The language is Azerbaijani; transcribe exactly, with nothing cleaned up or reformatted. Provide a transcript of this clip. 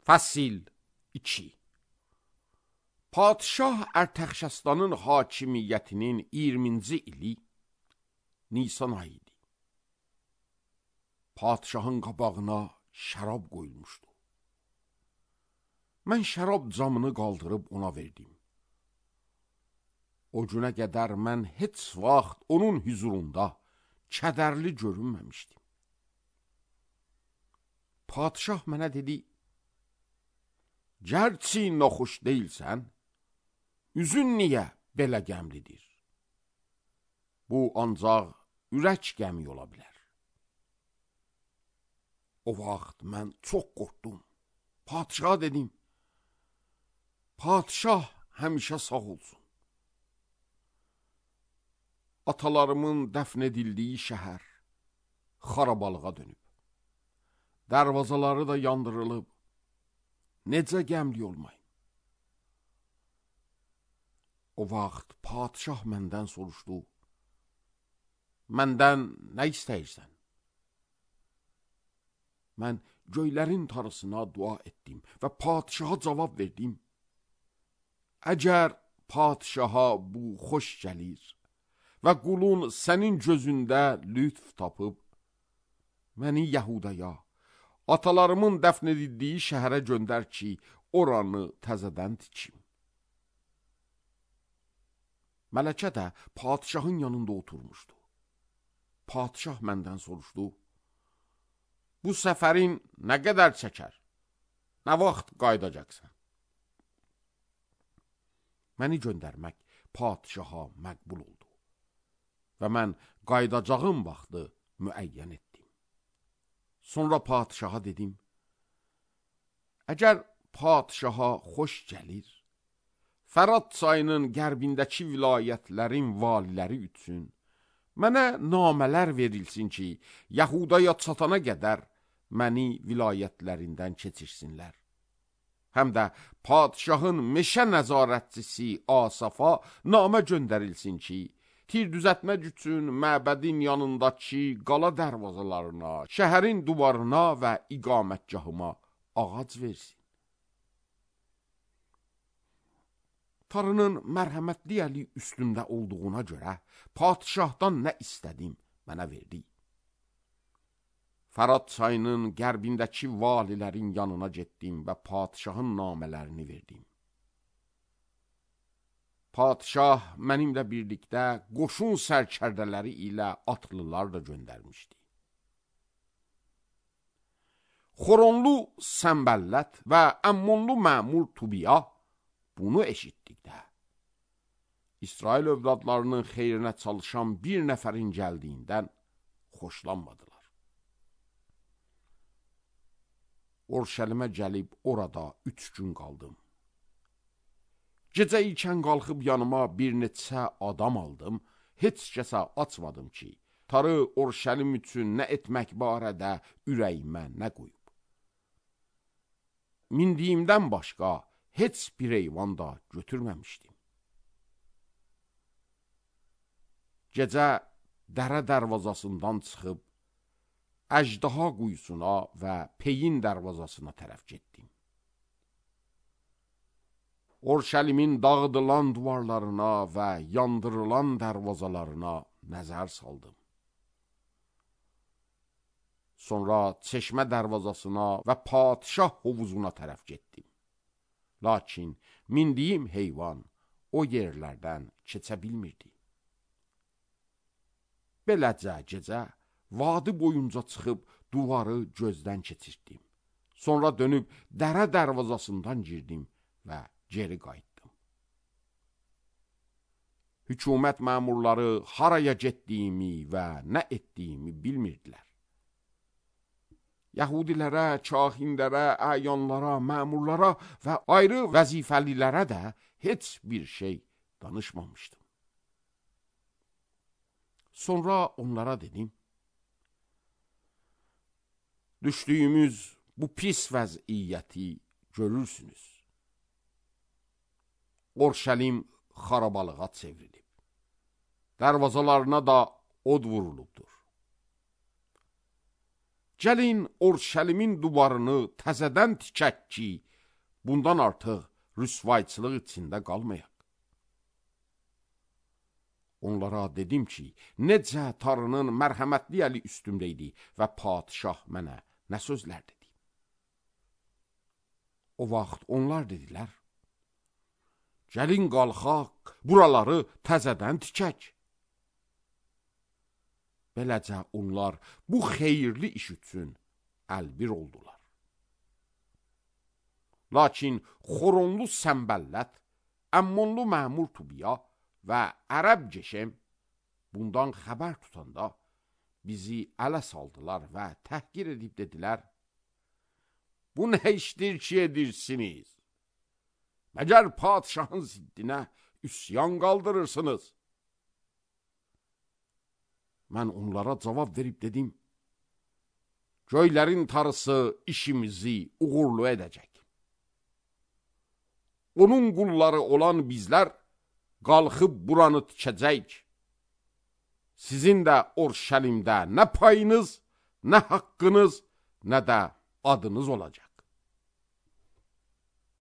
Fəsil iki. Padişah Ərtəxşəstanın hakimiyyətinin iyirminci ili Nisan ayı idi. Padişahın qabağına şərab qoyulmuşdu. Mən şərab camını qaldırıb ona verdim. O günə qədər mən heç vaxt onun hüzurunda kədərli görünməmişdim. Padişah mənə dedi, gərçi naxoş deyilsən, üzün niyə belə qəmlidir? Bu ancaq ürək qəmi ola bilər. O vaxt mən çox qorxdum. Padişaha dedim, padişah həmişə sağ olsun. Atalarımın dəfn edildiyi şəhər xarabalığa dönüb. Dərvazaları da yandırılıb. Necə qəmli olmayın? O vaxt padişah məndən soruşdu, məndən nə istəyirsən? Mən göylərin tarısına dua etdim və padişaha cavab verdim. Əgər padişaha bu xoş gəlir və qulun sənin gözündə lütf tapıb, məni Yəhudaya, atalarımın dəfn edildiyi şəhərə göndər ki, oranı təzədən tikim. Mələkə də padişahın yanında oturmuşdu. Padişah məndən soruşdu, bu səfərin nə qədər çəkər? Nə vaxt qaydacaqsan? Məni göndərmək padişaha məqbul oldu və mən qaydacağım vaxtı müəyyən etdim. Sonra padişaha dedim, əgər padişaha xoş gəlir, Fərat çayının qərbindəki vilayətlərin valiləri üçün mənə namələr verilsin ki, Yəhudaya çatana qədər məni vilayətlərindən keçirsinlər. Həm də padişahın meşə nəzarətçisi Asafa namə göndərilsin ki, tir düzətmək üçün məbədin yanındakı qala dərvazalarına, şəhərin duvarına və iqamətgahıma ağac versin. Tanrının mərhəmətli əli üstümdə olduğuna görə padişahdan nə istədim, mənə verdi. Fərat çayının qərbindəki valilərin yanına getdim və padişahın namələrini verdim. Padişah mənimlə birlikdə qoşun sərkərdələri ilə atlılar da göndərmişdi. Xoronlu Səmbəllət və Əmmonlu məmur Tubiya bunu eşitdikdə, İsrail övladlarının xeyrinə çalışan bir nəfərin gəldiyindən xoşlanmadılar. Orşəlimə gəlib orada üç gün qaldım. Gecə ikən qalxıb yanıma bir neçə adam aldım, heç kəsə açmadım ki, tarı Orşəlim üçün nə etmək barədə ürəyimə nə qoyub. Mindiyimdən başqa heç bir heyvan da götürməmişdim. Gecə dərə dərvazasından çıxıb, Əjdaha quyusuna və Peyin dərvazasına tərəf getdim. Orşəlimin dağıdılan duvarlarına və yandırılan dərvazalarına nəzər saldım. Sonra çeşmə dərvazasına və padişah hovuzuna tərəf getdim. Lakin mindiyim heyvan o yerlərdən keçə bilmirdi. Beləcə gecə, vadi boyunca çıxıb duvarı gözdən keçirtdim. Sonra dönüb dərə dərvazasından girdim və geri qayıtdım. Hükümət məmurları haraya getdiyimi və nə etdiyimi bilmirdilər. Yəhudilərə, kahinlərə, əyanlara, məmurlara və ayrı vəzifəlilərə də heç bir şey danışmamışdım. Sonra onlara dedim, düşdüyümüz bu pis vəziyyəti görürsünüz. Orşəlim xarabalığa çevrilib. Dərvazalarına da od vurulubdur. gəlin Orşəlimin divarını təzədən tikək ki, bundan artıq rüsvayçılıq içində qalmayaq. Onlara dedim ki, necə Tanrının mərhəmətli əli üstümdə idi və padişah mənə nə sözlər dedi. O vaxt onlar dedilər, gəlin qalxaq, buraları təzədən tikək. Beləcə onlar bu xeyirli iş üçün əlbir oldular. Lakin Xoronlu Səmbəllət, Əmmonlu məmur Tubiya və Ərəb Ceşem bundan xəbər tutanda bizi ələ saldılar və təhqir edib dedilər, bu nə işdir ki edirsiniz? Məgər padişahın ziddinə üsyan qaldırırsınız? Mən onlara cavab verib dedim, göylərin Tanrısı işimizi uğurlu edəcək. Onun qulları olan bizlər qalxıb buranı tikəcək. Sizin də Orşəlimdə nə payınız, nə haqqınız, nə də adınız olacaq.